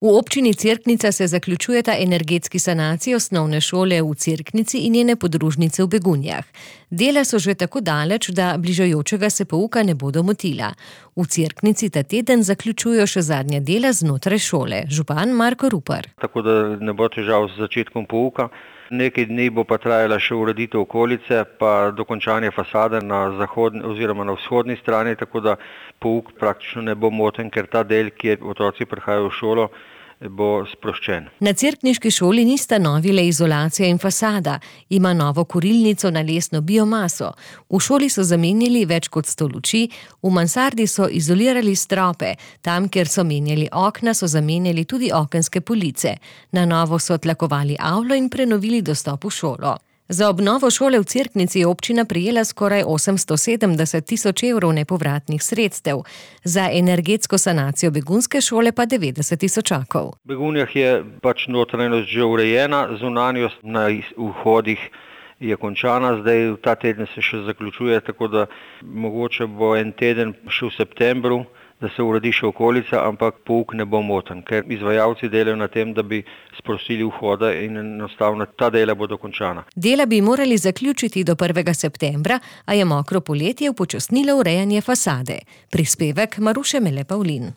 V občini Cerknica se zaključujeta energetski sanaciji osnovne šole v Cerknici in njene podružnice v Begunjah. Dela so že tako daleč, da bližajočega se pouka ne bodo motila. V Cerknici ta teden zaključujejo še zadnja dela znotraj šole. Župan Marko Rupar. Tako da ne bo težav z začetkom pouka. Nekaj dni bo pa trajala še ureditev okolice, pa dokončanje fasade na zahodni oziroma na vzhodni strani, tako da pouk praktično ne bo moten, ker ta del, kjer otroci prihajajo v šolo, bo sproščen. Na cerkniški šoli nista novi le izolacija in fasada, ima novo kurilnico na lesno biomaso. V šoli so zamenjali več kot 100 luči, v mansardi so izolirali strope, tam, kjer so menjali okna, so zamenjali tudi okenske police. Na novo so tlakovali avlo in prenovili dostop v šolo. Za obnovo šole v Cerknici je občina prejela skoraj 870 tisoč evrov nepovratnih sredstev, za energetsko sanacijo begunske šole pa 90 tisočakov. V Begunjah je notranjost že urejena, zunanjost na vhodih je končana, zdaj ta teden se še zaključuje, tako da mogoče bo en teden še v septembru, da se uredi še okolica, ampak pouk ne bo moten, ker izvajalci delajo na tem, da bi sprostili vhoda in enostavno ta dela bodo končana. Dela bi morali zaključiti do 1. septembra, a je mokro poletje upočasnilo urejanje fasade. Prispevek Maruše Mele Pavlin.